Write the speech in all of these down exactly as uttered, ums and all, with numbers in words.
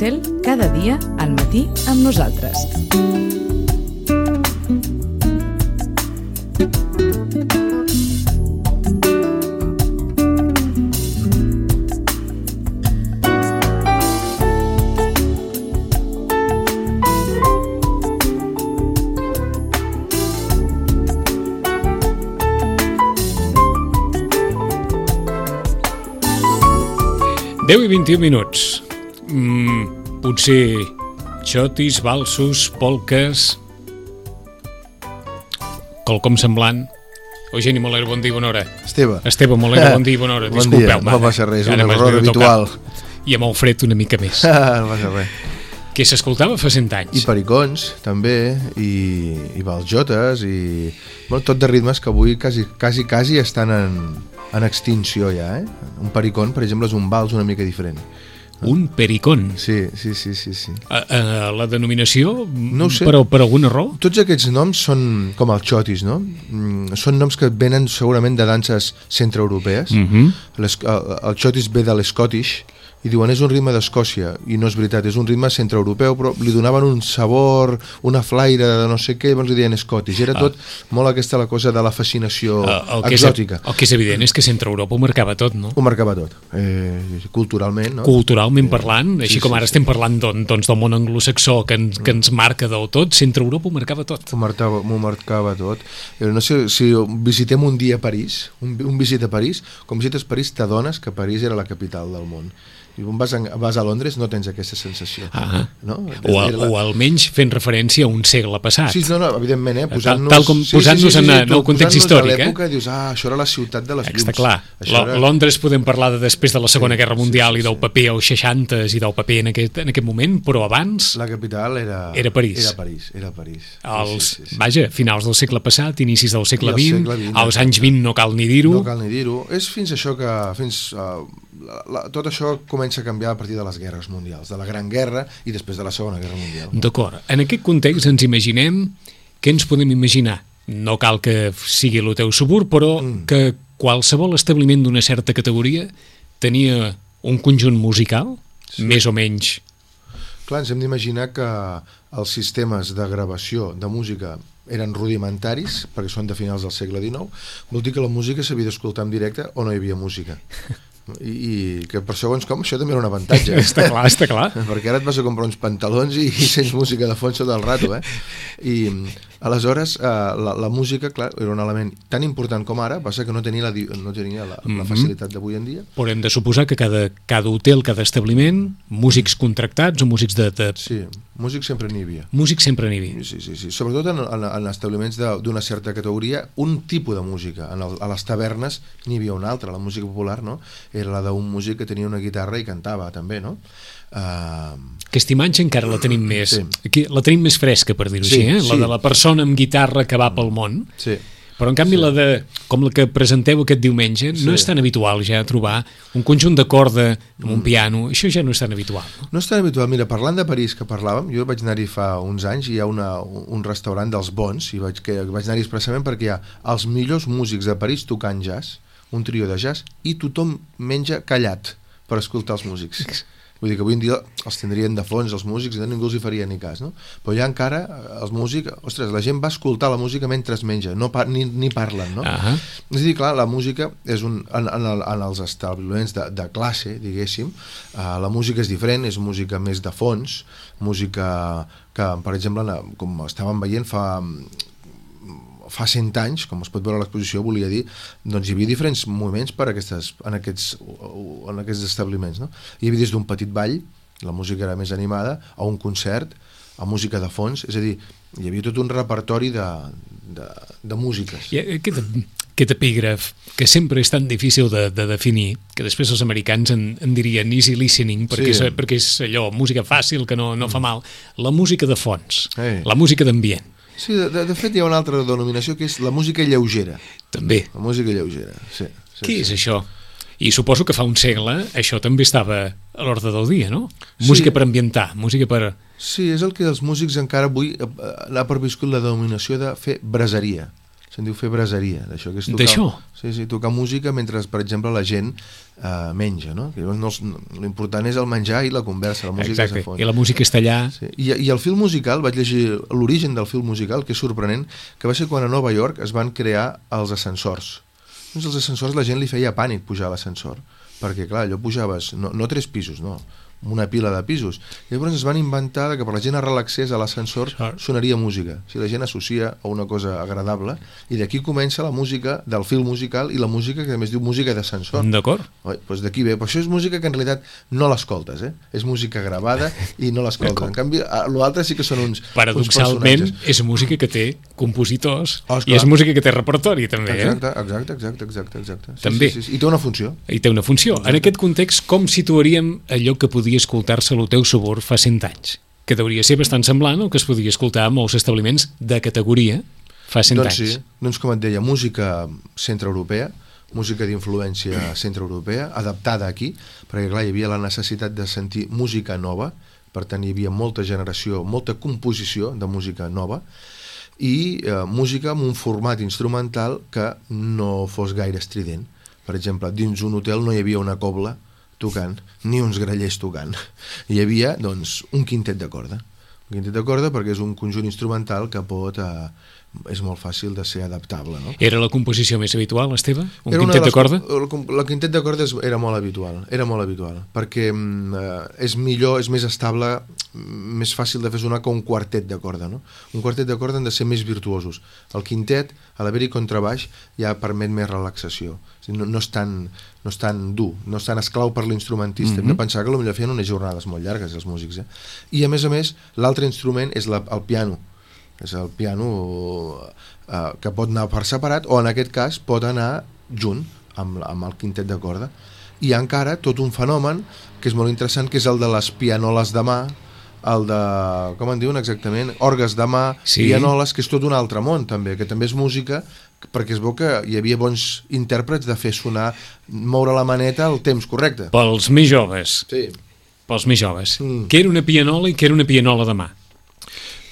Cel, cada dia al matí amb nosaltres. deu i vint-i-un minuts. Mm, potser xotis, valsos, polques, quelcom semblant. Eugeni Molero, bon dia i bona hora. Esteve. Esteve Molero, bon dia i bona hora. Bon Disculpeu, dia, no passa res, un ara error habitual. I amb el fred una mica més. No passa res. Que s'escoltava fa cent anys. I pericons, també, i, i baljotes, i bueno, tot de ritmes que avui quasi, quasi, quasi estan en, en extinció ja, eh? Un pericón, per exemple, és un vals una mica diferent. Un pericón. Sí, sí, sí, sí, sí. A, a, la denominació, no ho sé. Per, per alguna raó? Tots aquests noms són com els xotis, no? Mm, són noms que venen segurament de danses centreeuropees. Uh-huh. Les, el, el xotis ve de l'Scottish, i diuen és un ritme d'Escòcia, i no és veritat, és un ritme centreeuropeu, però li donaven un sabor, una flaire de no sé què, llavors li deien Scottish. Era tot ah. molt aquesta la cosa de la fascinació el, el exòtica. Que és, el que és evident és que Centreeuropa ho marcava tot, no? Ho marcava tot, eh, culturalment, no? Culturalment parlant, així sí, com ara sí, estem parlant doncs, del món anglosaxó que ens, que ens marca del tot, Centreeuropa ho marcava tot. Ho marcava, ho marcava tot. No sé, si visitem un dia a París, un, un visit a París, com visites París t'adones que París era la capital del món. I quan vas a, vas a Londres no tens aquesta sensació. Ah, no? o, a, la... o almenys fent referència a un segle passat. Sí, no, no, evidentment, eh? Posant-nos, tal, tal com posant-nos sí, sí, sí, sí, en el context històric. A l'època eh? dius, ah, això era la ciutat de les llums. Està clar. Això era... Londres podem parlar de després de la Segona sí, Guerra Mundial sí, sí, i del paper als seixantes i del paper en aquest, en aquest moment, però abans... La capital era... Era París. Era París, era París. Els, sí, sí, sí. Vaja, finals del segle passat, inicis del segle vint, vint, als anys vint no cal ni dir-ho. No cal ni dir-ho. És fins això que... Fins, uh, la, la, tot això comença a canviar a partir de les guerres mundials, de la Gran Guerra i després de la Segona Guerra Mundial. D'acord. En aquest context ens imaginem, què ens podem imaginar? No cal que sigui el teu suburb, però mm. que qualsevol establiment d'una certa categoria tenia un conjunt musical, sí. més o menys. Clar, ens hem d'imaginar que els sistemes de gravació de música eren rudimentaris, perquè són de finals del segle dinou, vol dir que la música s'havia d'escoltar en directe o no hi havia música. I, i que per segons com això també era un avantatge. Està clar, està clar. Perquè ara et vas a comprar uns pantalons i, i sents música de fons sota el rato, eh? I aleshores eh, la, la música, clar, era un element tan important com ara, passa que no tenia la, no tenia la, la facilitat d'avui en dia. Però hem de suposar que cada, cada hotel, cada establiment, músics contractats o músics de... de... Sí, músics sempre n'hi havia. Músics sempre n'hi havia. Sí, sí, sí. Sobretot en, en, en establiments d'una certa categoria, un tipus de música. En el, a les tavernes n'hi havia una altra, la música popular, no? Era la d'un músic que tenia una guitarra i cantava, també, no? Uh... Aquesta imatge encara la tenim més sí. aquí, la tenim més fresca, per dir-ho sí, així, eh? Sí. La de la persona amb guitarra que va pel món. Sí. Però en canvi sí. la de, com la que presenteu aquest diumenge, sí. no és tan habitual ja trobar un conjunt de corda amb un piano, això ja no és tan habitual. No, no és tan habitual. Mira, parlant de París que parlàvem, jo vaig anar-hi fa uns anys i hi ha una, un restaurant dels bons, i vaig, que, vaig anar-hi expressament perquè hi ha els millors músics de París tocant jazz, un trio de jazz, i tothom menja callat per escoltar els músics. Vull dir que avui en dia els tindrien de fons, els músics, i ningú els hi faria ni cas, no? Però ja encara, els músics, ostres, la gent va escoltar la música mentre es menja, no par ni, ni parlen, no? Uh-huh. És a dir, clar, la música és un, en, en, el, en els establiments de, de classe, diguéssim, uh, la música és diferent, és música més de fons, música que, per exemple, com estàvem veient fa... fa cent anys, com es pot veure a l'exposició, volia dir, doncs hi havia diferents moviments per aquestes, en, aquests, en aquests establiments, no? Hi havia des d'un petit ball, la música era més animada, a un concert, a música de fons, és a dir, hi havia tot un repertori de, de, de músiques. I aquest, aquest epígraf, que sempre és tan difícil de, de definir, que després els americans en, en dirien easy listening, perquè, sí. és, perquè és allò, música fàcil, que no, no fa mal, la música de fons, hey. La música d'ambient. Sí, de, de fet hi ha una altra denominació que és la música lleugera. També. La música lleugera, sí. sí Què sí. és això? I suposo que fa un segle això també estava a l'ordre del dia, no? Música sí. per ambientar, música per... Sí, és el que els músics encara avui ha perviscut la denominació de fer braseria. És se'n diu fer braseria, d'això que és tocar... D'això? Sí, sí, tocar música mentre, per exemple, la gent eh, menja, no? Que no, l'important és el menjar i la conversa, la música Exacte, és a fons. i la música està allà... Sí. I, I el film musical, vaig llegir l'origen del film musical, que és sorprenent, que va ser quan a Nova York es van crear els ascensors. Doncs els ascensors la gent li feia pànic pujar a l'ascensor, perquè clar, allò pujaves, no, no tres pisos, no, una pila de pisos. I llavors es van inventar que per la gent es relaxés a l'ascensor sonaria música, si la gent associa a una cosa agradable, i d'aquí comença la música del film musical i la música que a més diu música d'ascensor. D'acord. Doncs d'aquí ve, però això és música que en realitat no l'escoltes, eh? És música gravada i no l'escoltes. En canvi, l'altre sí que són uns paradoxalment uns és música que té compositors oh, i és música que té repertori també, exacte, eh? Exacte, exacte, exacte, exacte. Sí, també. Sí, sí, sí. I té una funció. I té una funció. Exacte. En aquest context, com situaríem allò que podia escoltar-se al teu sabor fa cent anys? Que hauria ser bastant semblant al que es podia escoltar a molts establiments de categoria fa cent doncs anys. Sí, doncs com et deia, música centreeuropea, música d'influència centreeuropea, adaptada aquí, perquè clar, hi havia la necessitat de sentir música nova, per tant hi havia molta generació, molta composició de música nova, i eh, música amb un format instrumental que no fos gaire estrident. Per exemple, dins un hotel no hi havia una cobla tocant, ni uns grallers tocant. Hi havia, doncs, un quintet de corda. Un quintet de corda perquè és un conjunt instrumental que pot... Eh, és molt fàcil de ser adaptable, no? Era la composició més habitual, Esteve? Un era quintet de, les, de corda? El, el quintet de corda era molt habitual, era molt habitual, perquè eh, és millor, és més estable, més fàcil de fer sonar que un quartet de corda, no? Un quartet de corda han de ser més virtuosos. El quintet, a l'haver-hi contrabaix, ja permet més relaxació. No, no, és tan, no és tan dur, no és tan esclau per l'instrumentista. Mm-hmm. Hem de pensar que potser feien unes jornades molt llargues, els músics, eh? I a més a més, l'altre instrument és la, el piano. És el piano eh, que pot anar per separat o en aquest cas pot anar junt amb, amb el quintet de corda. I hi ha encara tot un fenomen que és molt interessant, que és el de les pianoles de mà, el de, com en diuen exactament, orgues de mà, sí. Pianoles, que és tot un altre món també, que també és música, perquè es veu que hi havia bons intèrprets de fer sonar, moure la maneta al temps correcte. Pels més joves. Sí. Pels més joves. Mm. Què era una pianola i què era una pianola de mà?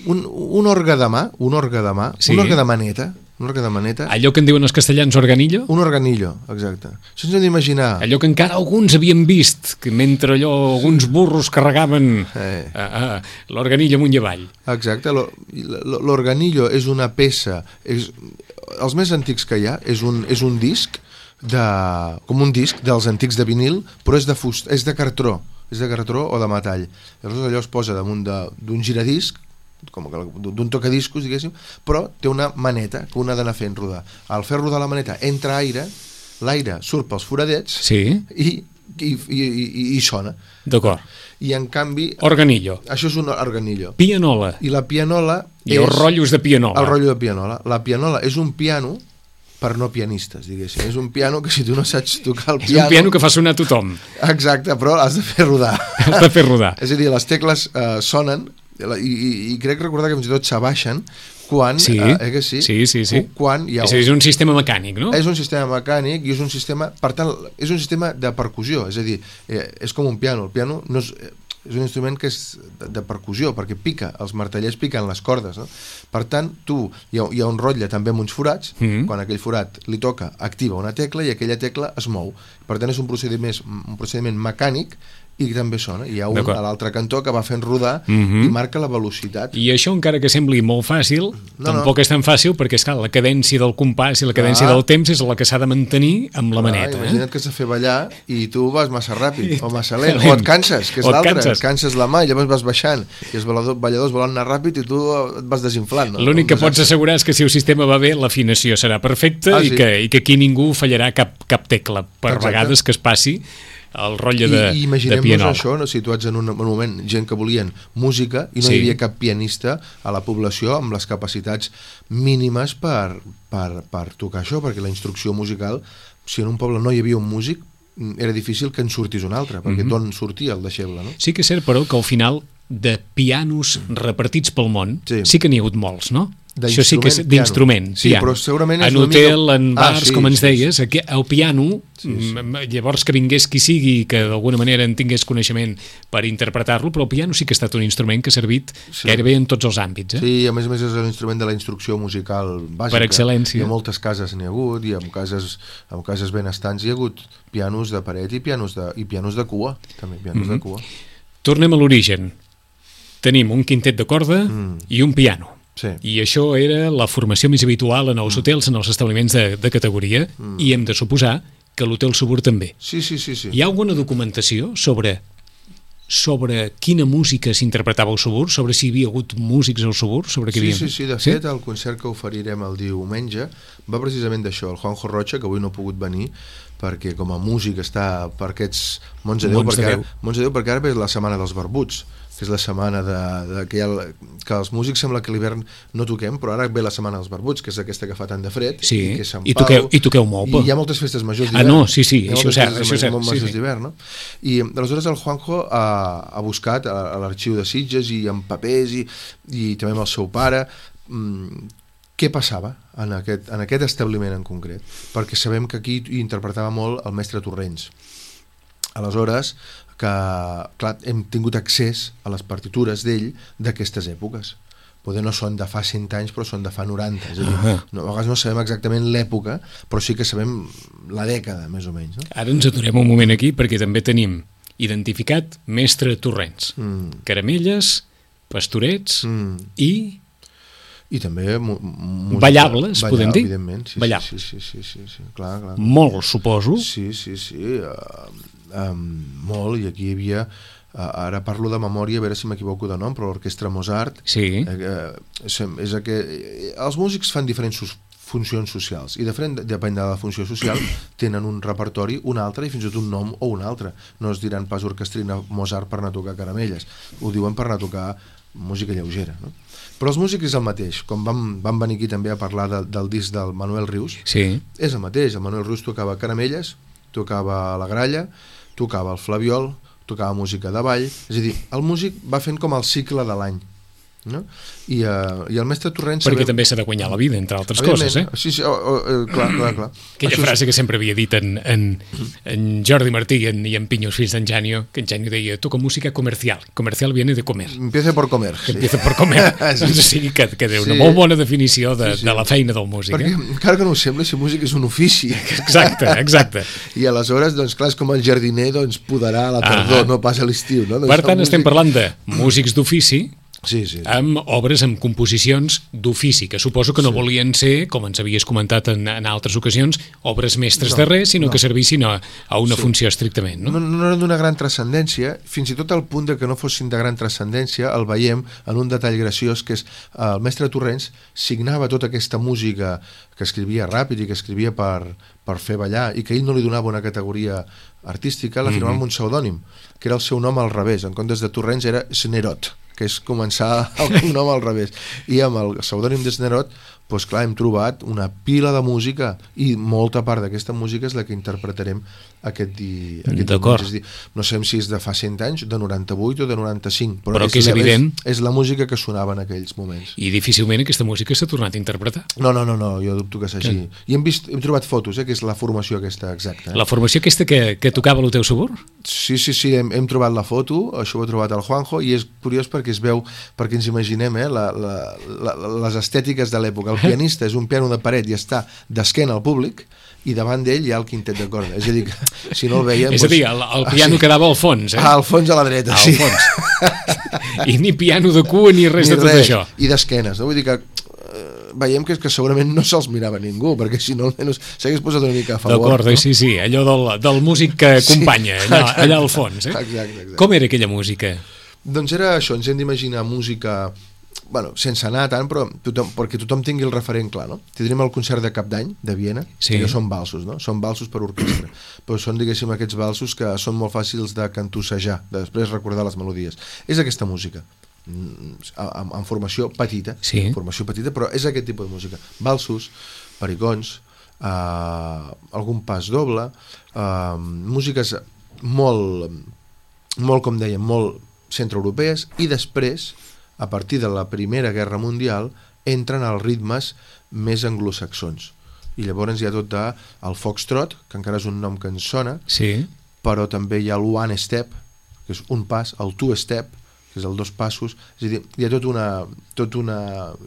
Un, un orgue de mà, un orgue de mà, sí. Un orgue de maneta, un orgue de maneta. Allò que en diuen els castellans organillo? Un organillo, exacte. Això ens hem d'imaginar... Allò que encara alguns havien vist, que mentre allò alguns burros carregaven eh. a, a, l'organillo amunt i avall. Exacte, l'organillo és una peça, és, els més antics que hi ha, és un, és un disc, de, com un disc dels antics de vinil, però és de, fust, és de cartró, és de cartró o de metall. Llavors allò es posa damunt d'un giradisc, com d'un tocadiscos, diguéssim, però té una maneta que un ha d'anar fent rodar. Al fer rodar la maneta entra aire, l'aire surt pels foradets, sí. i, i, i, i, i sona. D'acord. I en canvi... Organillo. Això és un organillo. Pianola. I la pianola I és... els rotllos de pianola. El rotllo de pianola. La pianola és un piano per no pianistes, diguéssim. És un piano que si tu no saps tocar el piano... És un piano que fa sonar a tothom. Exacte, però has de fer rodar. Has de fer rodar. És a dir, les tecles eh, sonen... I, i, i crec recordar que fins i tot s'abaixen quan, sí, eh, eh, que sí, sí, sí, sí. quan hi ha un... és un sistema mecànic, no? És un sistema mecànic i és un sistema, per tant, és un sistema de percussió, és a dir, eh, és com un piano, el piano no és, és un instrument que és de, de percussió, perquè pica, els martellers piquen les cordes, no? Per tant, tu, hi ha, hi ha un rotlle també amb uns forats, mm-hmm. quan aquell forat li toca, activa una tecla i aquella tecla es mou, per tant és un procediment, un procediment mecànic i també sona. Hi ha un a l'altre cantó que va fent rodar mm-hmm. i marca la velocitat. I això, encara que sembli molt fàcil, no, tampoc no. és tan fàcil perquè, esclar, la cadència del compàs i la cadència ah. del temps és la que s'ha de mantenir amb la ah, maneta. Imagina't eh? que has de fer ballar i tu vas massa ràpid o massa lent, o et canses, que és l'altre, et canses la mà i llavors vas baixant i els balladors volen anar ràpid i tu et vas desinflant. No? L'únic que pots assegurar és que si el sistema va bé, l'afinació serà perfecta ah, sí. i, que, i que aquí ningú fallarà cap, cap tecla, per Exacte. Vegades que es passi el rotllo de, I, i imaginem-nos de pianola. això, no, situats en un, un moment gent que volien música i no sí. hi havia cap pianista a la població amb les capacitats mínimes per, per, per tocar això, perquè la instrucció musical, si en un poble no hi havia un músic, era difícil que en sortís un altre, perquè mm-hmm. d'on sortia el deixeble, no? Sí que és cert, però, que al final de pianos repartits pel món sí, sí que n'hi ha hagut molts, no? Això sí que és d'instrument, sí, piano. Però segurament és en hotel, mica... en bars, ah, sí, com ens deies, sí, aquí, el piano, sí, sí. llavors que vingués qui sigui, que d'alguna manera en tingués coneixement per interpretar-lo, però el piano sí que ha estat un instrument que ha servit sí. gairebé en tots els àmbits. Eh? Sí, a més a més és l'instrument de la instrucció musical bàsica. Per excel·lència. I a moltes cases n'hi ha hagut, i en cases, en cases benestants hi ha hagut pianos de paret i pianos de, i pianos de cua, també, pianos mm-hmm. de cua. Tornem a l'origen. Tenim un quintet de corda mm. i un piano. Sí. I això era la formació més habitual en els mm. hotels, en els establiments de, de categoria, mm. i hem de suposar que l'hotel Subur també. Sí, sí, sí, sí. Hi ha alguna documentació sobre sobre quina música s'interpretava al Subur, sobre si hi havia hagut músics al Subur, sobre què sí, havia... Sí, sí, de fet, sí? El concert que oferirem el diumenge va precisament d'això. El Juanjo Rocha, que avui no ha pogut venir, perquè com a músic està per aquests Mons de Déu, Mons de perquè, Déu. Ara, Mons de Déu perquè ara és la setmana dels barbuts, que és la setmana de, de que, ha, que els músics sembla que a l'hivern no toquem, però ara ve la setmana dels barbuts, que és aquesta que fa tant de fred, sí. i que és Sant I toqueu, i toqueu molt. I hi ha moltes festes majors d'hivern. Ah, no, sí, sí, això és cert. Això és cert, sí, sí. d'hivern, no? I aleshores el Juanjo ha, ha buscat a, a l'arxiu de Sitges i en papers i, i també amb el seu pare mmm, què passava en aquest, en aquest establiment en concret, perquè sabem que aquí hi interpretava molt el mestre Torrents. Aleshores, que clar, hem tingut accés a les partitures d'ell d'aquestes èpoques. Poder no són de fa cent anys, però són de fa noranta. És a dir, uh-huh. no, a vegades no sabem exactament l'època, però sí que sabem la dècada, més o menys. No? Ara ens aturem un moment aquí, perquè també tenim identificat mestre Torrents. Mm. Caramelles, pastorets mm. i... I també música, ballables, ballar, podem dir? Evidentment, sí, ballables. Sí, sí, sí, sí, sí, clar, clar. Molt, suposo. Sí, sí, sí, uh, um, molt, i aquí hi havia, uh, ara parlo de memòria, a veure si m'equivoco de nom, però l'orquestra Mozart, sí. uh, és que els músics fan diferents funcions socials, i diferent, depèn de la funció social, tenen un repertori, un altre, i fins i tot un nom o un altre. No es diran pas orquestrina Mozart per anar a tocar caramelles, ho diuen per anar a tocar música lleugera, no? Però els músics és el mateix. Quan vam, vam venir aquí també a parlar de, del disc del Manuel Rius, sí. és el mateix. El Manuel Rius tocava caramelles, tocava la gralla, tocava el flabiol, tocava música de ball, és a dir, el músic va fent com el cicle de l'any, no? I, uh, i el mestre Torrents... Perquè sabem... també s'ha de guanyar la vida, entre altres coses, eh? Sí, sí, oh, oh, clar, clar, clar. Aquella Això frase és... que sempre havia dit en, en, en Jordi Martí i en, i en Pinyos, fills d'en Janio, que en Janio deia, toca música comercial. Comercial viene de comer. Empieza por comer. Que sí. empieza por comer. Sí. Doncs sí, que, que té una sí. molt bona definició de, sí, sí. de la feina del músic. Perquè, eh? encara que no ho sembla, si músic és un ofici. Exacte, exacte. I aleshores, doncs clar, és com el jardiner, doncs podarà a la tardor, ah. no pas a l'estiu. No? Doncs per tant, músic... estem parlant de músics d'ofici, sí, sí, sí. amb obres, amb composicions d'ofici, que suposo que no sí. volien ser, com ens havies comentat en, en altres ocasions, obres mestres no, de res, sinó no. que servissin a, a una sí. funció estrictament. No, no, no eren d'una gran transcendència, fins i tot al punt de que no fossin de gran transcendència, el veiem en un detall graciós, que és el mestre Torrents signava tota aquesta música que escrivia ràpid i que escrivia per, per fer ballar, i que ell no li donava una categoria artística, la firmava mm-hmm. amb un pseudònim, que era el seu nom al revés. En comptes de Torrents era Snerot, que és començar el nom al revés. I amb el pseudònim de Snerot, doncs clar, hem trobat una pila de música, i molta part d'aquesta música és la que interpretarem aquest dia. D'acord. És dir, no sabem si és de fa cent anys, de noranta-vuit o de noranta-cinc, però, però és, que és evident. És, és la música que sonava en aquells moments. I difícilment aquesta música s'ha tornat a interpretar. No, no, no, no jo dubto que s'hagi. I hem, vist, hem trobat fotos, eh, que és la formació aquesta exacta. Eh? La formació aquesta que, que tocava el teu Subur? Sí, sí, sí, hem, hem trobat la foto, això ho ha trobat el Juanjo, i és curiós perquè es veu, perquè ens imaginem eh, la, la, la, les estètiques de l'època. El pianista és un piano de paret i està d'esquena al públic, i davant d'ell hi ha el quintet de corda. És a dir, que si no el veiem... És a dir, el, el piano sí. quedava al fons, eh? Ah, al fons a la dreta, al sí. Fons. I ni piano de cua ni res ni de tot res. Això. I d'esquenes, no? Vull dir que eh, veiem que, que segurament no se'ls mirava ningú, perquè si no almenys s'hagués posat una mica a favor. D'acord, no? sí, sí, allò del, del músic que acompanya, sí. allà, allà al fons. Eh? Exacte, exacte. Com era aquella música? Doncs era això, ens hem d'imaginar música... Bueno, sense anar tant, però tothom, perquè tothom tingui el referent clar, no? Tindrem el concert de Cap d'Any, de Viena, sí. que són valsos, no? Són valsos per orquestra, però són, diguéssim, aquests valsos que són molt fàcils de cantussejar, de després recordar les melodies. És aquesta música, en, en formació petita, sí. formació petita, però és aquest tipus de música. Valsos, pericons, eh, algun pas doble, eh, músiques molt, molt, com dèiem, molt centreeuropees, i després, a partir de la Primera Guerra Mundial, entren als ritmes més anglosaxons. I llavors hi ha tot de, el foxtrot, que encara és un nom que ens sona, Sí. però també hi ha el one step, que és un pas, el two step, que és el dos passos, és a dir, hi ha tota una, tot una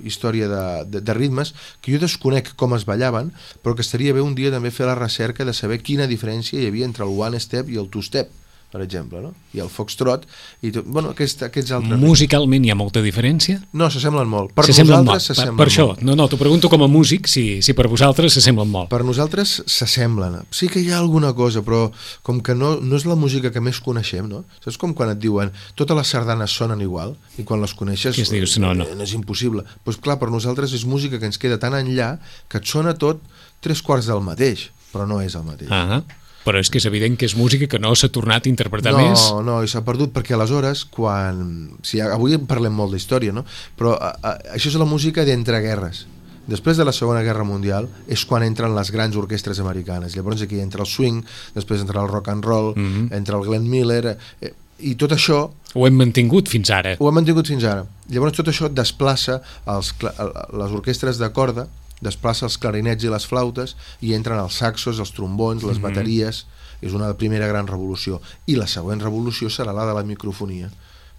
història de, de, de ritmes que jo desconec com es ballaven, però que estaria bé un dia també fer la recerca de saber quina diferència hi havia entre el one step i el two step, per exemple, no? I el foxtrot, i tot, bueno, aquest, aquests altres... Musicalment hi ha molta diferència? No, s'assemblen molt. Per S'assemblen nosaltres molt. Per, s'assemblen per això, molt. no, no, t'ho pregunto com a músic, si, si per vosaltres s'assemblen molt. Per nosaltres s'assemblen. Sí que hi ha alguna cosa, però com que no, no és la música que més coneixem, no? Saps com quan et diuen totes les sardanes sonen igual i quan les coneixes Què es dius? No, no. és impossible. Doncs pues clar, per nosaltres és música que ens queda tan enllà que et sona tot tres quarts del mateix, però no és el mateix. Ah, però és que és evident que és música que no s'ha tornat a interpretar no, més. No, no, i s'ha perdut perquè aleshores, quan... Sí, avui en parlem molt d'història, no? Però a, a, això és la música d'entreguerres. Després de la Segona Guerra Mundial és quan entren les grans orquestres americanes. Llavors aquí entra el swing, després entra el rock and roll, mm-hmm. entra el Glenn Miller... Eh, i tot això... Ho hem mantingut fins ara. Ho hem mantingut fins ara. Llavors tot això desplaça els, les orquestres de corda, desplaça els clarinets i les flautes i entren els saxos, els trombons, les mm-hmm. bateries. És una primera gran revolució. I la següent revolució serà la de la microfonia,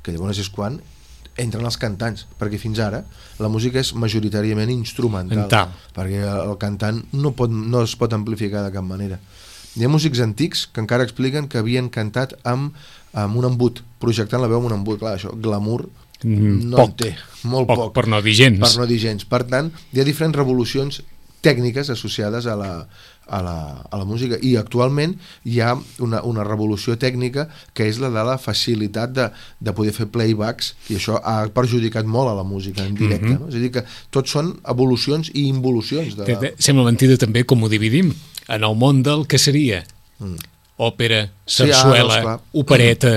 que llavors és quan entren els cantants, perquè fins ara la música és majoritàriament instrumental, Mental. perquè el cantant no, pot, no es pot amplificar de cap manera. Hi ha músics antics que encara expliquen que havien cantat amb, amb un embut, projectant la veu amb un embut. Clar, això, glamour, no poc, en té, molt poc, poc. per no dir gens. Per no dir gens. Per tant, hi ha diferents revolucions tècniques associades a la, a la, a la música, i actualment hi ha una, una revolució tècnica que és la de la facilitat de, de poder fer playbacks, i això ha perjudicat molt a la música en directe, mm-hmm. no? És a dir que tots són evolucions i involucions de la... Sembla mentida també com ho dividim en el món del que seria mm. òpera, sarsuela, sí, ah, no, opereta,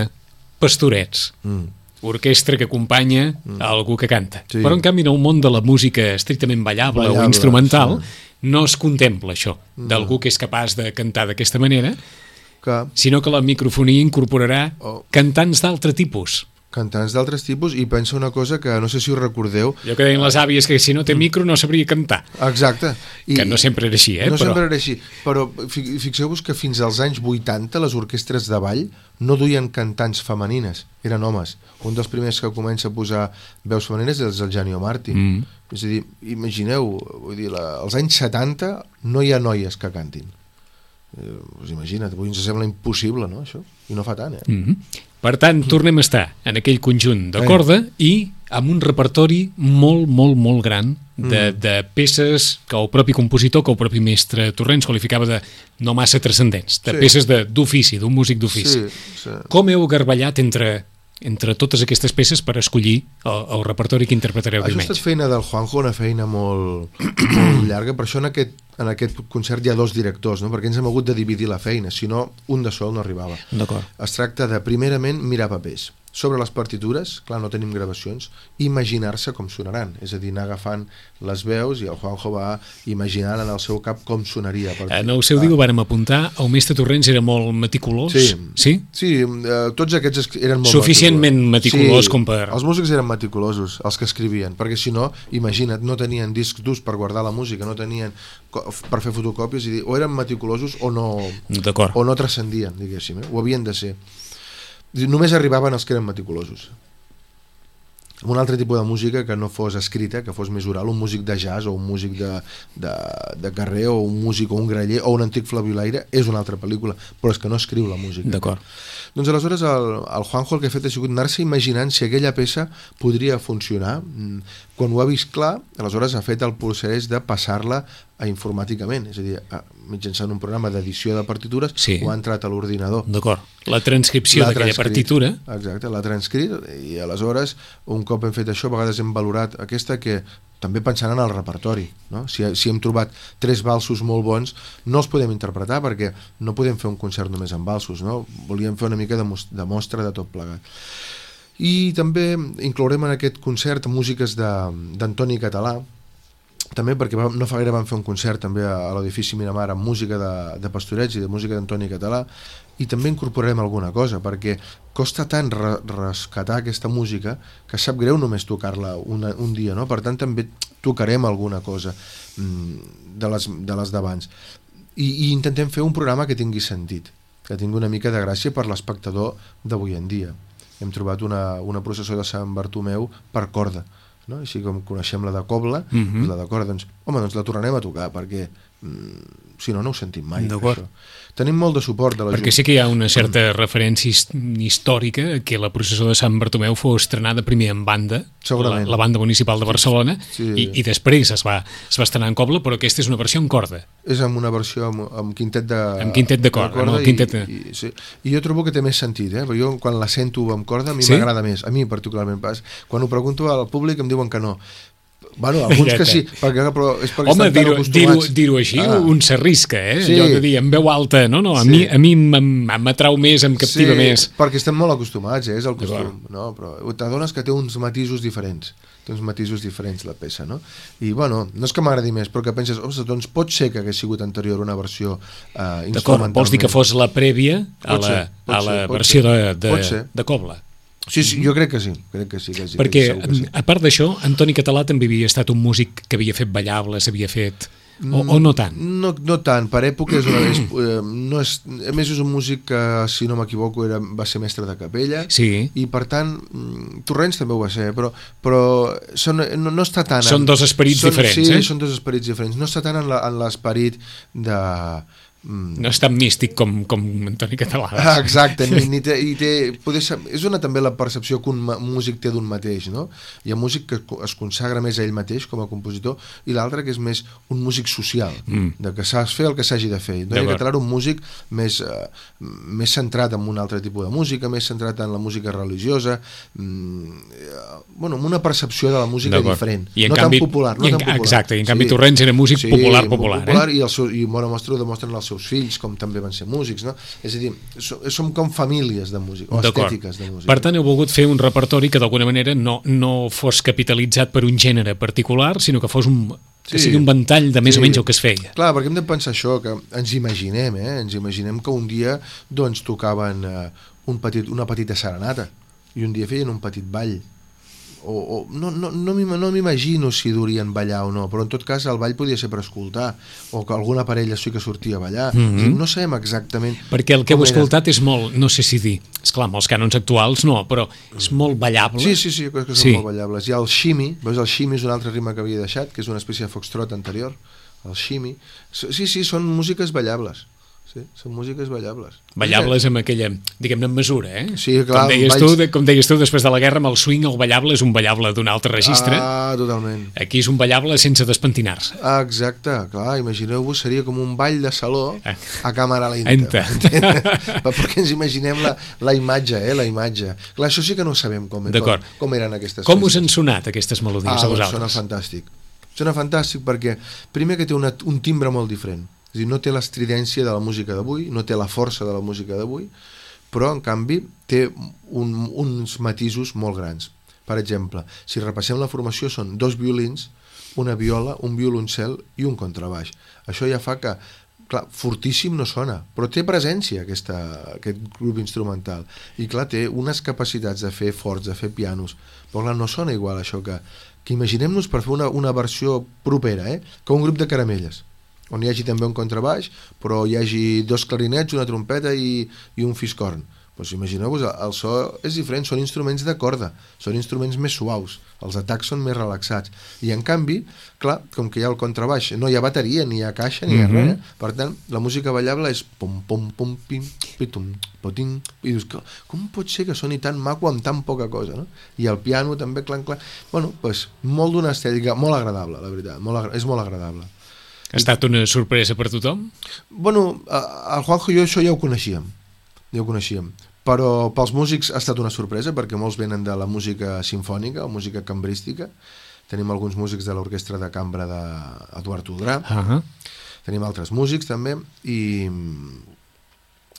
pastorets, mm. orquestra que acompanya mm. algú que canta. Sí. Però en canvi en el món de la música estrictament ballable, ballable o instrumental, sí. no es contempla això, mm. d'algú que és capaç de cantar d'aquesta manera, que... sinó que la microfonia incorporarà oh. cantants d'altre tipus. Cantants d'altres tipus, i pensa una cosa que no sé si us recordeu... Jo que deien les àvies que si no té micro no sabria cantar. Exacte. I que no sempre era així, eh? No però... sempre era així, però fixeu-vos que fins als anys vuitanta les orquestres de ball no duien cantants femenines, eren homes. Un dels primers que comença a posar veus femenines és el Gianni Marti. Mm. És a dir, imagineu, vull dir, la, als anys setanta no hi ha noies que cantin. Eh, us imagina't, avui ens sembla impossible, no, això? I no fa tant, eh? Mm-hmm. Per tant, tornem a estar en aquell conjunt de corda i amb un repertori molt, molt, molt gran de, mm. de peces que el propi compositor, que el propi mestre Torrents qualificava de no massa transcendents, de sí. peces d'ofici, d'un músic d'ofici. Sí, sí. Com heu garballat entre, entre totes aquestes peces per escollir el, el repertori que interpretareu diumenge? Això ha estat feina del Juanjo, una feina molt, molt llarga, per això en aquest, en aquest concert hi ha dos directors, no? Perquè ens hem hagut de dividir la feina, si no un de sol no arribava. Es tracta de, primerament, mirar papers. Sobre les partitures, clar, no tenim gravacions, imaginar-se com sonaran, és a dir, anar agafant les veus, i el Juanjo va imaginant en el seu cap com sonaria. En el seu dia ho vàrem apuntar, el mestre Torrents era molt meticulós. Sí, sí? sí eh, tots aquests eren molt suficientment meticulós sí, com per... Els músics eren meticulosos, els que escrivien, perquè si no, imagina't, no tenien discs durs per guardar la música, no tenien per fer fotocòpies, i dir, o eren meticulosos o no, o no transcendien, diguéssim, eh? Ho havien de ser. Només arribaven els que eren meticulosos. Un altre tipus de música que no fos escrita, que fos més oral, un músic de jazz o un músic de, de, de carrer o un músic o un graller o un antic flabiolaire és una altra pel·lícula, però és que no escriu la música. D'acord. Doncs aleshores el, el Juanjo el que ha fet ha sigut anar-se imaginant si aquella peça podria funcionar. Quan ho ha vist clar, aleshores ha fet el procés de passar-la a informàticament, és a dir, a, mitjançant un programa d'edició de partitures, sí. Ho ha entrat a l'ordinador. D'acord. La transcripció d'aquella partitura. Exacte, l'ha transcrit, i aleshores, un cop hem fet això, a vegades hem valorat aquesta que també pensant en el repertori, no? Si, si hem trobat tres valsos molt bons, no els podem interpretar perquè no podem fer un concert només amb valsos, no? Volíem fer una mica de, de mostra de tot plegat. I també inclourem en aquest concert músiques d'Antoni Català, també perquè vam, no fa gaire vam fer un concert també a, a l'edifici Miramar amb música de, de Pastorets i de música d'Antoni Català, i també incorporarem alguna cosa, perquè costa tant re, rescatar aquesta música que sap greu només tocar-la una, un dia, no? Per tant també tocarem alguna cosa mm, de les, de les d'abans, I, i intentem fer un programa que tingui sentit, que tingui una mica de gràcia per l'espectador d'avui en dia. Hem trobat una, una processó de Sant Bartomeu per corda, no? Així com coneixem la de Cobla, uh-huh. la de corda, doncs, home, doncs la tornarem a tocar, perquè mm, si no, no ho sentim mai, això. Tenim molt de suport de la Perquè Junta. sí que hi ha una certa mm. referència històrica que la processó de Sant Bartomeu fos estrenada primer en banda, la, la banda municipal de Barcelona, sí. i, i després es va, es va estrenar en Cobla, però aquesta és una versió en corda. És amb una versió amb, amb quintet de, amb quintet de corda. De corda no? i, quintet de... I, sí. I jo trobo que té més sentit, eh? Perquè jo quan la sento amb corda a mi sí? m'agrada més, a mi particularment. Quan ho pregunto al públic em diuen que no. Bueno, alguns que sí, perquè, però és perquè Home, estan tan acostumats. Dir-ho dir així, ah. un s'arrisca, eh? Sí. Allò de dir, en veu alta, no, no, a sí. mi, a mi m'atrau més, em captiva sí, més. Perquè estem molt acostumats, eh? És el costum, no? Però t'adones que té uns matisos diferents, té uns matisos diferents la peça, no? I, bueno, no és que m'agradi més, però que penses, ostres, doncs pot ser que hagués sigut anterior una versió eh, instrumentalment. D'acord, vols dir que fos la prèvia a la, ser, a la ser, versió de, de, de Cobla? Sí, sí, jo crec que sí, crec que sí. Que sí Perquè, que sí. a part d'això, Antoni Català també havia estat un músic que havia fet ballables, havia fet... O, o no tant? No, no tant, per època és una, és, no és, a més és un músic que, si no m'equivoco, era, va ser mestre de capella, sí. i per tant Torrents també ho va ser, però, però són, no, no està tant... Són en, dos esperits són, diferents, sí, eh? Sí, són dos esperits diferents, no està tant en l'esperit de... No és tan místic com, com Antoni Català. Ah, exacte, ni, ni té, i té, poder ser, és una també la percepció que un músic té d'un mateix, no? Hi ha músic que es consagra més a ell mateix com a compositor, i l'altre que és més un músic social, mm. de que saps fer el que s'hagi de fer. Antoni Català era un músic més, uh, més centrat en un altre tipus de música, més centrat en la música religiosa, mm, bueno, amb una percepció de la música diferent, I no canvi, tan popular. No i en, tan popular. Exacte, i en canvi sí. Torrents era músic sí, popular, popular. popular eh? I, el seu, i bona mostra ho demostren els seus fills, com també van ser músics, no? És a dir, som, som com famílies de música, o estètiques de música. Per tant, heu volgut fer un repertori que d'alguna manera no, no fos capitalitzat per un gènere particular, sinó que fos un, que sí, sigui un ventall de més sí. o menys el que es feia. Clar, perquè hem de pensar això, que ens imaginem, eh? Ens imaginem que un dia doncs tocaven eh, un petit, una petita serenata, i un dia feien un petit ball, o, o no, no, no m'imagino si durien ballar o no, però en tot cas el ball podia ser per escoltar, o que alguna parella sí que sortia a ballar. Mm-hmm. No sabem exactament... Perquè el que heu escoltat és molt, no sé si dir, esclar, amb els cànons actuals no, però és molt ballable. Sí, sí, sí, crec que són sí. molt ballables. Hi ha el shimmy, veus, el shimmy és un altre ritme que havia deixat, que és una espècie de foxtrot anterior, el shimmy. Sí, sí, són músiques ballables. Sí, són músiques ballables. Ballables amb aquella, diguem-ne, en mesura, eh? Sí, clar. Com deies, balls... tu, de, com deies tu, després de la guerra, amb el swing, el ballable és un ballable d'un altre registre. Ah, totalment. Aquí és un ballable sense despentinar-se. Ah, exacte, clar, imagineu-vos, seria com un ball de saló a càmera lenta. Perquè ens imaginem la, la imatge, eh, la imatge. Clar, això sí que no sabem com, com, com eren aquestes com festes. us han sonat aquestes melodies ah, a vosaltres? Sona fantàstic. Sona fantàstic perquè, primer que té una, un timbre molt diferent. És a dir, no té l'estridència de la música d'avui, no té la força de la música d'avui, però en canvi té un, uns matisos molt grans. Per exemple, si repassem la formació són dos violins, una viola, un violoncel i un contrabaix. Això ja fa que, clar, fortíssim no sona, però té presència aquesta, aquest grup instrumental, i clar, té unes capacitats de fer forts, de fer pianos, però clar, no sona igual això que, que imaginem-nos per fer una, una versió propera, eh? Que un grup de caramelles, on hi hagi també un contrabaix, però hi hagi dos clarinets, una trompeta i, i un fiscorn. Pues imagineu-vos, el so és diferent, són instruments de corda, són instruments més suaus, els atacs són més relaxats, i en canvi, clar, com que hi ha el contrabaix, no hi ha bateria, ni hi ha caixa, ni hi ha mm-hmm. res, per tant, la música ballable és pom, pom, pom, pim, pitum, poting, i dius, com pot ser que soni tan maco amb tan poca cosa, no? I el piano també, clar, clar, bueno, pues, molt d'una estètica, molt agradable, la veritat, molt agra- és molt agradable. Ha estat una sorpresa per tothom? Bueno, el Juanjo i jo això ja ho coneixíem, ja ho coneixíem, però pels músics ha estat una sorpresa perquè molts venen de la música simfònica o música cambrística. Tenim alguns músics de l'orquestra de cambra d'Eduard Toldrà, uh-huh. tenim altres músics també, i,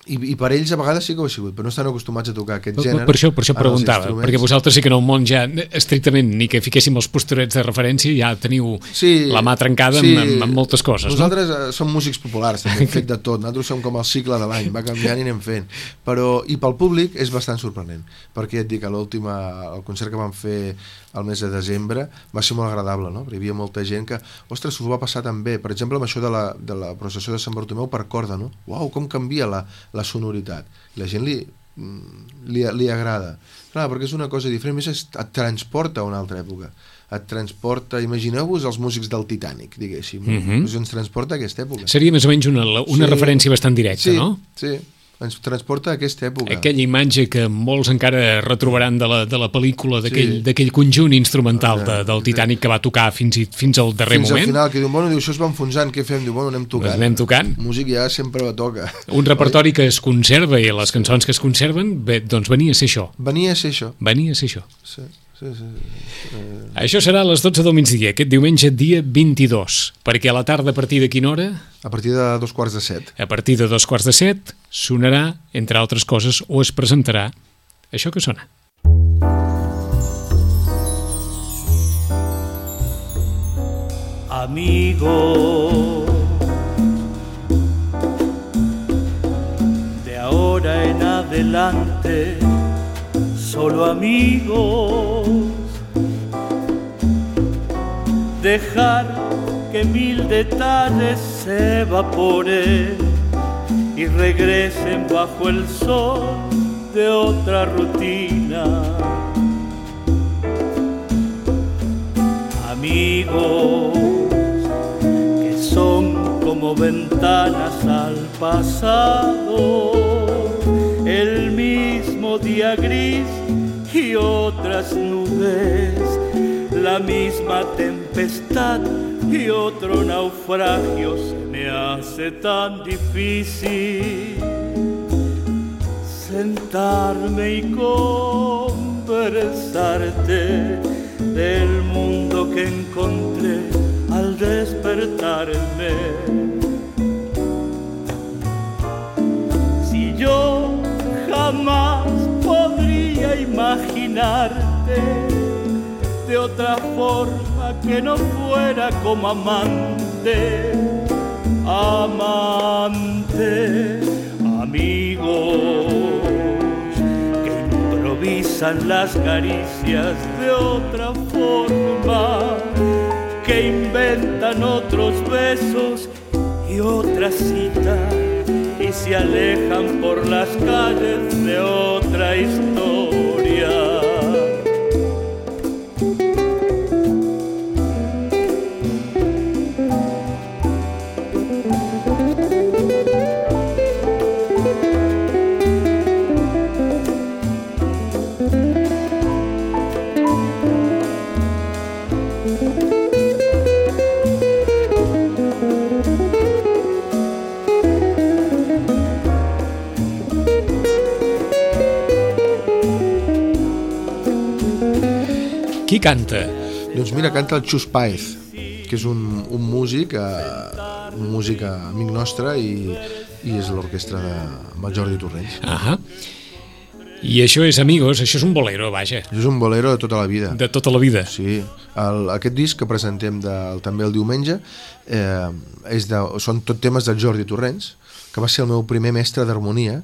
I, i per ells a vegades sí que ho ha sigut, però no estan acostumats a tocar aquest gènere. Per això, per això preguntava, perquè vosaltres sí que en el món ja estrictament ni que fiquéssim els posturets de referència ja teniu sí, la mà trencada sí, amb, amb moltes coses. Nosaltres no? uh, som músics populars, també, hem fet de tot, nosaltres som com el cicle de l'any, va canviant i anem fent, però i pel públic és bastant sorprenent, perquè et dic, a l'última, el concert que vam fer el mes de desembre va ser molt agradable, no? Perquè hi havia molta gent que, ostres, s'ho va passar tan bé, per exemple amb això de la, de la processió de Sant Bartomeu per corda, no? Uau, com canvia la, la sonoritat, la gent li, li, li agrada, clar, perquè és una cosa diferent, més et transporta a una altra època, et transporta, imagineu-vos els músics del Titanic, diguéssim, mm-hmm. ens transporta a aquesta època. Seria més o menys una, una sí, referència bastant directa, sí, no? Sí, ens transporta a aquesta època. Aquella imatge que molts encara retrobaran de la, de la pel·lícula, d'aquell sí. conjunt instrumental de, del Titanic que va tocar fins, i, fins al darrer fins moment. Fins al final, que diu, bueno, diu, això es va enfonsant, què fem? Diu, bueno, anem tocant. Pues anem tocant. Músic ja sempre la toca. Un repertori que es conserva i les cançons que es conserven, bé, doncs venia a ser això. Venia a ser això. Venia a ser això. Sí. Sí, sí, sí. Eh... Això serà a les dotze del migdia, aquest diumenge dia vint-i-dos, perquè a la tarda a partir de quina hora? A partir de dos quarts de set. A partir de dos quarts de set sonarà, entre altres coses, o es presentarà això que sona. Amigo, de ahora en adelante solo amigos, dejar que mil detalles se evaporen y regresen bajo el sol de otra rutina. Amigos que son como ventanas al pasado, el mismo día gris y otras nubes, la misma tempestad y otro naufragio. Se me hace tan difícil sentarme y conversarte del mundo que encontré al despertarme. Si yo jamás podría imaginarte de otra forma que no fuera como amante, amante, amigos que improvisan las caricias de otra forma, que inventan otros besos y otra cita y se alejan por las calles de otra historia. Qui canta? Doncs mira, canta el Xus Páez, que és un, un músic, eh, un músic amic nostre i, i és l'orquestra de amb el Jordi Torrents. Ahà. I això és, amigos, això és un bolero, vaja. Això és un bolero de tota la vida. De tota la vida. Sí. El, aquest disc que presentem de, també el diumenge eh, és de, són tot temes del Jordi Torrents, que va ser el meu primer mestre d'harmonia,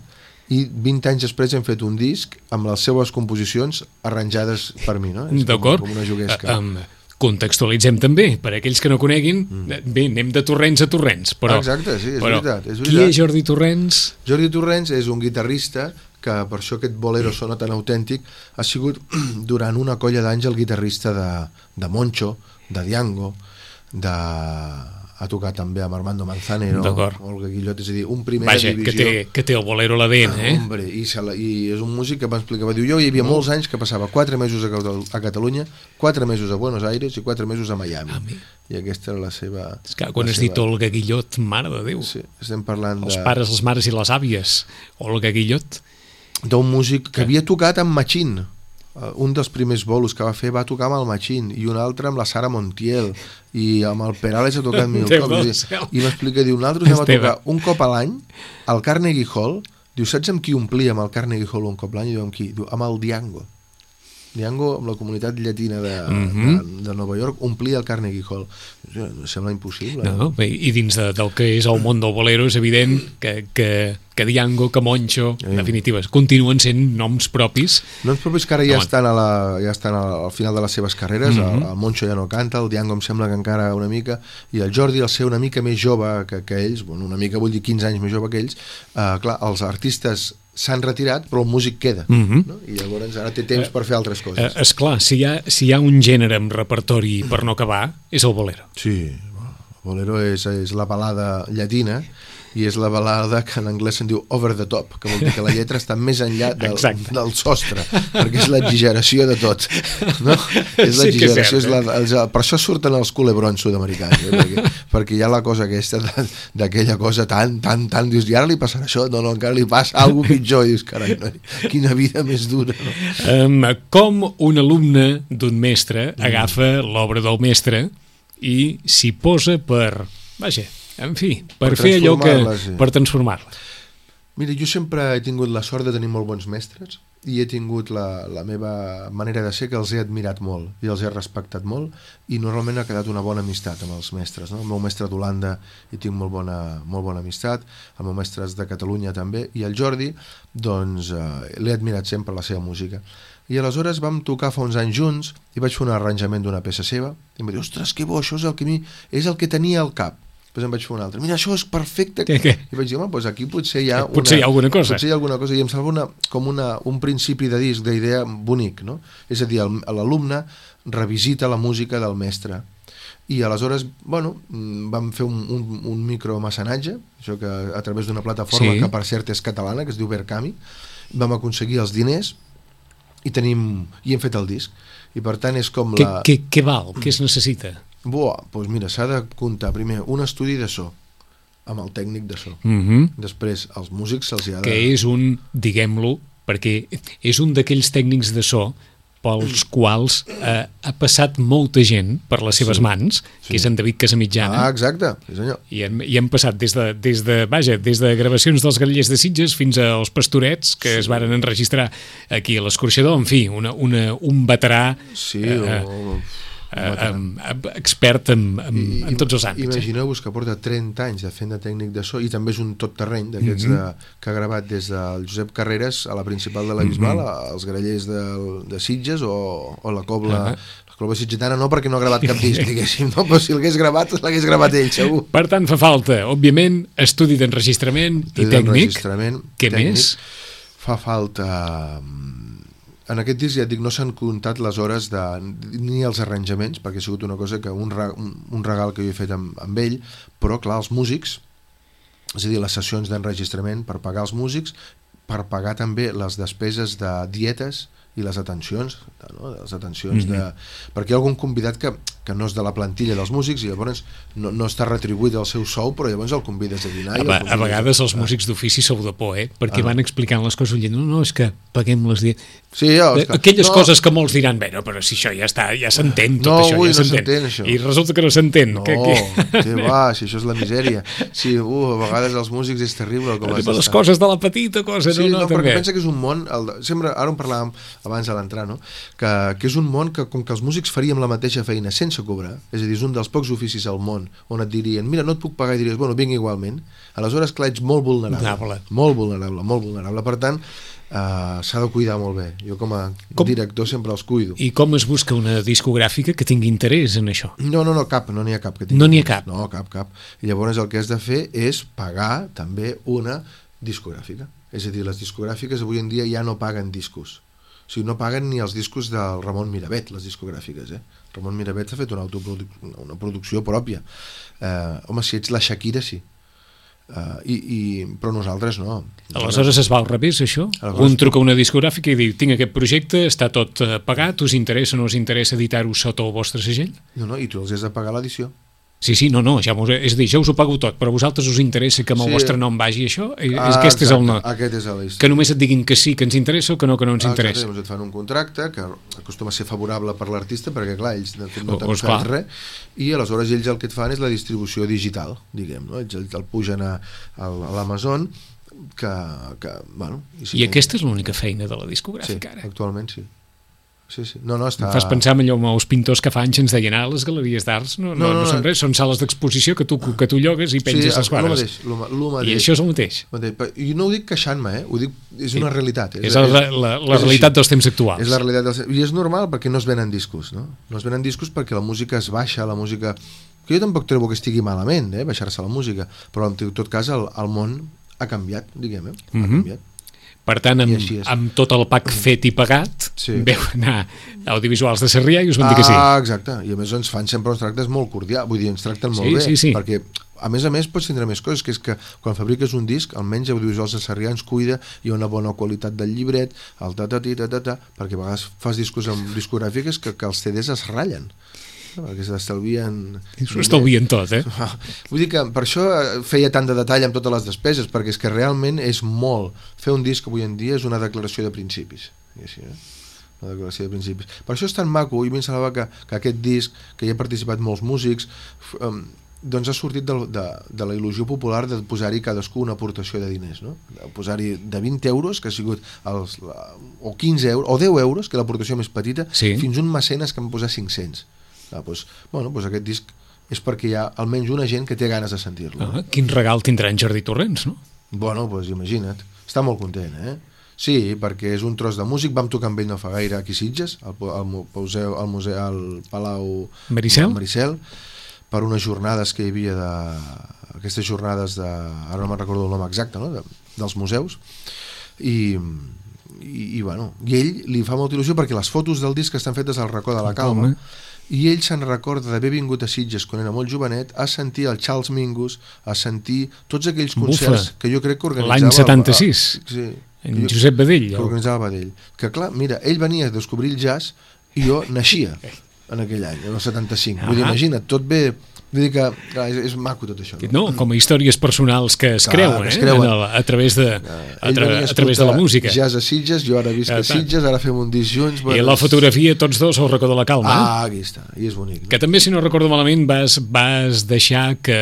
i vint anys després hem fet un disc amb les seues composicions arranjades per mi, no? D'acord. Com, com una juguesca. Um, contextualitzem també, per aquells que no coneguin, mm. bé, anem de Torrents a Torrents, però... Exacte, sí, és, però, veritat, és veritat. Qui és Jordi Torrents? Jordi Torrents és un guitarrista que per això aquest bolero sona tan autèntic, ha sigut durant una colla d'anys el guitarrista de, de Moncho, de Diango, de... ha tocat també amb Armando Manzanero, Olga Guillot, és a dir, un primera Vaja, divisió. Que té, que té el bolero a la D N, eh? Ah, hombre, i, la, i és un músic que m'explicava, diu, jo hi havia molts anys que passava quatre mesos a, a Catalunya, quatre mesos a Buenos Aires i quatre mesos a Miami. Ah, i aquesta era la seva... És que quan has seva... dit Olga Guillot, mare de Déu. Sí, estem parlant Els de... Els pares, les mares i les àvies. Olga Guillot. D'un músic que havia tocat amb Machín. Un dels primers bolos que va fer va tocar amb el Machín i un altre amb la Sara Montiel i amb el Perales ha tocat mil cops i, i m'explica, diu, nosaltres anem a tocar un cop a l'any al Carnegie Hall Diu, saps amb qui omplíem el Carnegie Hall un cop l'any? I diu, amb qui? Diu, amb el Diango. Diango, amb la comunitat llatina de, Mm-hmm. de, de Nova York, omplia el Carnegie Hall. Em sembla impossible. No, bé, i dins de, del que és el món del bolero és evident que, que, que Diango, que Moncho, en definitiva, continuen sent noms propis. Noms propis que ara ja Home. estan, a la, ja estan al final de les seves carreres. Mhm. el, el Moncho ja no canta, el Diango em sembla que encara una mica, i el Jordi, al ser una mica més jove que, que ells, bueno, una mica vull dir quinze anys més jove que ells, eh, clar, els artistes s'han retirat, però el músic queda. Mhm. No? I llavors ara té temps per fer altres Eh, coses. esclar, si hi, ha, si hi ha un gènere amb repertori per no acabar, és el bolero. Sí, bueno, el bolero és, és la balada llatina, i és la balada que en anglès se'n diu over the top, que vol dir que la lletra està més enllà del, del sostre, perquè és l'exageració de tot, no? És Sí que és l'exageració, cert, és la, els, per això surten els culebrons sud-americans, eh? perquè, perquè hi ha la cosa aquesta de- d'aquella cosa tan, tan, tan, dius, i ara li passarà això? No, no, encara li passa alguna cosa pitjor, i dius, carai, no, quina vida més dura, no? Um, com un alumne d'un mestre agafa l'obra del mestre i s'hi posa per, vaja, en fi, per, Per fer allò que... transformar-la, sí. Per transformar-la. Mira, jo sempre he tingut la sort de tenir molt bons mestres i he tingut la, la meva manera de ser, que els he admirat molt i els he respectat molt, i normalment ha quedat una bona amistat amb els mestres, no? El meu mestre d'Holanda hi tinc molt bona, molt bona amistat, el meu mestre és de Catalunya també, i el Jordi, doncs eh, l'he admirat sempre la seva música. I aleshores vam tocar fa uns anys junts i vaig fer un arranjament d'una peça seva i em va dir, ostres, que bo, això és el que, mi, és el que tenia al cap. Després em vaig fer un altre, mira, això és perfecte. Què, què? I vaig dir, home, doncs aquí potser hi ha, Potser hi ha alguna cosa. Potser hi ha alguna cosa, i em sembla una, com una, un principi de disc, d'idea bonic, no? És a dir, el- l'alumne revisita la música del mestre. I aleshores, bueno, mm, vam fer un, un, un micromecenatge, això que a través d'una plataforma Sí. que per cert és catalana, que es diu Verkami, vam aconseguir els diners i tenim i hem fet el disc. I per tant és com Què, la... què, què val? Què es necessita? Buah, doncs mira, s'ha de comptar primer un estudi de so amb el tècnic de so. Mm-hmm. Després, als músics se'ls hi ha de... Que és un, diguem-lo, perquè és un d'aquells tècnics de so pels quals eh, ha passat molta gent per les seves Sí. mans, Sí. que és en David Casamitjana. Ah, exacte, sí senyor. I hem, i hem passat des de, des de, vaja, des de gravacions dels Grallers de Sitges fins als Pastorets, que sí. es varen enregistrar aquí a l'Escorxador, en fi, una, una, un veterà Sí, eh, o... eh, eh, expert en, en, I- en tots els àmbits. Eh? Imagineu-vos que porta trenta anys de fent de tècnic de so, i també és un tot terreny d'aquests Mhm. de, que ha gravat des del Josep Carreras a la principal de la Bisbal, Mhm. als Grallers de, de Sitges, o, o la Cobla, Ah. la Cobla Sitgetana, no perquè no ha gravat cap disc, diguéssim, no? Però si l'hagués gravat, l'hagués gravat ell, segur. Per tant, fa falta, òbviament, estudi d'enregistrament i tècnic. D'enregistrament, Què tècnic. més? Fa falta... mm, En aquest disc, ja et dic, no s'han comptat les hores de, ni els arranjaments, perquè ha sigut una cosa que un, re- un, un regal que jo he fet amb, amb ell, però clar, els músics, és a dir, les sessions d'enregistrament per pagar els músics, per pagar també les despeses de dietes i les atencions, no? les atencions de... perquè hi ha algun convidat que, que no és de la plantilla dels músics i llavors no, no està retribuït el seu sou, però llavors el convides a dinar. A, i el a convides vegades els Ah. músics d'ofici sou de por, eh? Perquè Ah, no. van explicant les coses dient, no, no, és que paguem les dietes. Sí, ja, és que- Aquelles no. coses que molts diran, bé, no, però si això ja està, ja s'entén tot No, això, ui, ja no s'entén, això. I resulta que no s'entén. No, que, que... que va, si això és la misèria. Sí, uh, a vegades els músics és terrible com has les d'estar. coses de la petita cosa, Sí, no, no, no, perquè també. pensa que és un món, el de, sempre, ara en parlàvem abans de l'entrar, no? que, que és un món que com que els músics faríem la mateixa feina sense cobrar, és a dir, és un dels pocs oficis al món on et dirien, mira, no et puc pagar, i diries, bueno, vinc igualment, aleshores clar, ets molt vulnerable, Vulnerable. molt vulnerable, molt vulnerable, per tant uh, s'ha de cuidar molt bé, jo com a Com- director sempre els cuido. I com es busca una discogràfica que tingui interès en això? No, no, no, cap, no n'hi ha cap. Que tingui. No n'hi ha cap? No, cap, cap. I llavors el que has de fer és pagar també una discogràfica. És a dir, les discogràfiques avui en dia ja no paguen discos. O sigui, no paguen ni els discos del Ramon Miravet, les discogràfiques, eh? Ramon Miravet ha fet una, autoproduc una producció pròpia. Eh, home, si ets la Shakira, sí. Uh, i, i, però nosaltres no. Aleshores es va al revés, això? Aleshores- Un truca a una discogràfica i diu, tinc aquest projecte, està tot eh, pagat, us interessa o no us interessa editar-ho sota el vostre segell? No, no, i tu els has de pagar l'edició. Sí, sí, no, no, ja us, és a dir, jo us ho pago tot, però a vosaltres us interessa que amb el Sí. vostre nom vagi això? Eh, Ah, aquest és el exacte, no. Aquest és el Que només et diguin que sí, que ens interessa o que no, que no ens Ah, interessa. exacte, llavors et fan un contracte que acostuma a ser favorable per l'artista perquè clar, ells de fet no Oh, t'han esclar. fet res i aleshores ells el que et fan és la distribució digital, diguem, no? Ells el, el pugen a, a l'Amazon, que, que bueno... I, si I aquesta és l'única feina de la discogràfica, sí, ara? Actualment sí. Sí, sí. No, no, està... Em fas pensar en allò amb els pintors que fa anys ens deien ah, les galeries d'arts no, no, no, no, no són res, són sales d'exposició que tu, que tu llogues i penges sí, els quadres. Sí, el mateix. I això és el mateix. I no ho dic queixant-me, eh? Ho dic, és una realitat. És, és la, la, la és realitat així. Dels temps actuals. És la realitat dels... I és normal perquè no es venen discos, no? No es venen discos perquè la música es baixa, la música... Que jo tampoc trobo que estigui malament, eh? Baixar-se la música, però en tot cas el, el món ha canviat, diguem, eh? Ha mm-hmm. canviat. Per tant, amb, amb tot el pack fet i pagat, sí. Veu anar a Audiovisuals de Sarrià i us van dir que sí. Ah, exacte. I a més ens fan sempre uns tractes molt cordials, vull dir, ens tracten molt sí, bé, sí, sí. perquè a més a més pots tindre més coses, que és que quan fabriques un disc, almenys Audiovisuals de Sarrià ens cuida, hi ha una bona qualitat del llibret, el ta-ta-ti, ta-ta-ta, perquè a vegades fas discos amb discogràfiques que, que els C Ds es ratllen. Perquè s'estalvien... S'ho estalvien tot, eh? Vull dir que per això feia tant de detall amb totes les despeses, perquè és que realment és molt. Fer un disc avui en dia és una declaració de principis. Així, eh? Una declaració de principis. Per això és tan maco, i a mi em semblava que, que aquest disc, que hi ha participat molts músics, um, doncs ha sortit de, de, de la il·lusió popular de posar-hi cadascú una aportació de diners, no? Posar-hi de vint euros, que ha sigut els, o quinze euros, o deu euros, que és l'aportació més petita, sí. Fins un mecenes que en posar cinc-cents. Ah, doncs, bueno, doncs aquest disc és perquè hi ha almenys una gent que té ganes de sentir-lo. Ah, quin regal tindrà en Jordi Torrents, no? Bueno, doncs imagina't, està molt content, eh? Sí, perquè és un tros de músic, vam tocar amb ell no fa gaire aquí a Sitges, al, al, museu, al, museu, al Palau Maricel? Maricel, per unes jornades que hi havia de... aquestes jornades de... ara no me'n recordo el nom exacte, no? De, dels museus, i... I, i, bueno, i ell li fa molta il·lusió perquè les fotos del disc estan fetes al racó de la Calma, i ell se'n recorda d'haver vingut a Sitges quan era molt jovenet a sentir el Charles Mingus, a sentir tots aquells concerts Bufa. Que jo crec que organitzava l'any setanta-sis, el, sí, en Josep Badell que organitzava Badell, que clar, mira, ell venia a descobrir el jazz i jo naixia en aquell any, en el setanta-cinc. Vull dir, imagina't, tot bé. Vull dir que clar, és, és maco tot això. No? No, com a històries personals que es clar, creuen, eh? Es creuen. El, a, través de, a, tra a través de la música. Jazz a Sitges, jo ara visc a Sitges, ara fem un disc junts. Bueno, I la fotografia, tots dos al racó de la Calma. Ah, aquí està, i és bonic. No? Que també, si no recordo malament, vas, vas deixar que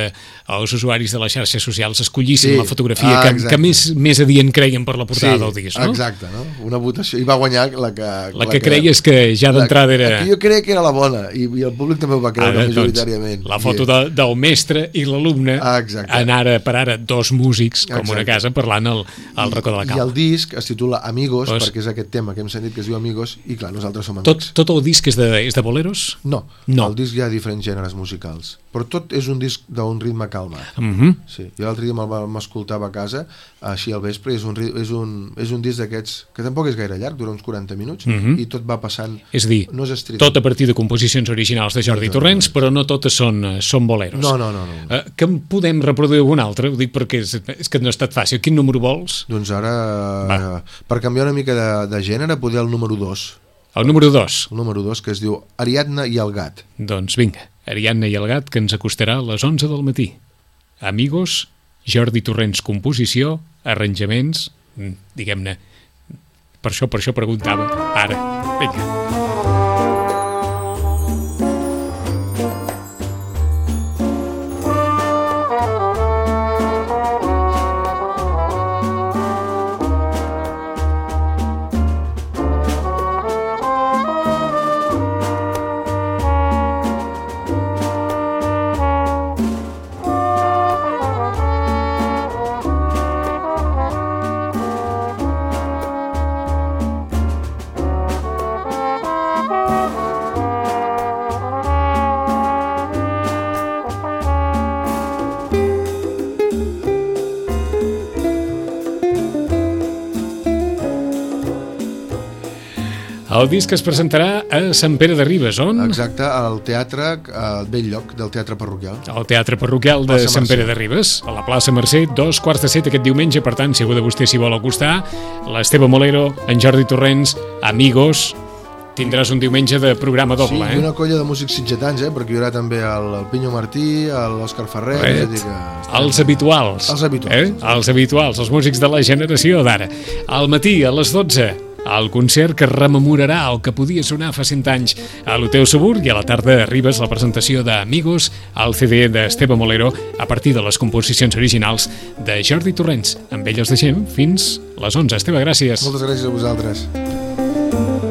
els usuaris de les xarxes socials escollissin sí. La fotografia ah, que, que més, més adient creien per la portada sí, del disc, no? Exacte, no? Una votació, i va guanyar la que... La, la que, que creies que ja d'entrada era... La que jo crec que era la bona, i, i el públic també ho va creure ah, majoritàriament. La foto de, del mestre i l'alumne ah, en ara per ara dos músics com exacte. Una casa parlant al, al racó de la Calma. I el disc es titula Amigos, pues, perquè és aquest tema que hem sentit que es diu Amigos, i clar, nosaltres som amics. Tot, tot el disc és de, és de boleros? No, no, el disc hi ha diferents gèneres musicals, però tot és un disc d'un ritme calmat. Uh -huh. Sí, jo l'altre dia m'escoltava a casa així al vespre, és un, és un, és un disc d'aquests que tampoc és gaire llarg, dura uns quaranta minuts, uh -huh. i tot va passant, és a dir, no és estrident. Tot a partir de composicions originals de Jordi Torrents, però no totes són, són boleros. No, no, no, no. Uh, que en podem reproduir algun altre? Ho dic perquè és, és que no ha estat fàcil. Quin número vols? Doncs ara, va. Per canviar una mica de, de gènere, poder el número dos. El número dos? El número dos, que es diu Ariadna i el gat. Doncs vinga, Ariadna i el gat, que ens acostarà a les onze del matí. Amigos, Jordi Torrents composició, arranjaments, diguem-ne, per això, per això preguntava. Ara, vinga. El disc es presentarà a Sant Pere de Ribes, on? Exacte, al teatre, al vell lloc del Teatre Parroquial. Al Teatre Parroquial de Sant Pere de Ribes, a la plaça Mercè, dos quarts de set aquest diumenge, per tant, si algú de vostè s'hi vol acostar, l'Esteve Molero, en Jordi Torrents, Amigos, tindràs un diumenge de programa doble, sí, eh? Sí, i una colla de músics sitgetans, eh? Perquè hi haurà també el, el Pinyo Martí, l'Òscar Ferrer... Eh, és a dir que... Els habituals. Els habituals. Eh? Els habituals, els músics de la generació d'ara. Al matí, a les dotze, el concert que rememorarà el que podia sonar fa cent anys a l'Hotel Subur, i a la tarda arribes la presentació d'Amigos, el C D d'Esteve Molero, a partir de les composicions originals de Jordi Torrents. Amb ell els deixem fins les onze. Esteve, gràcies. Moltes gràcies a vosaltres.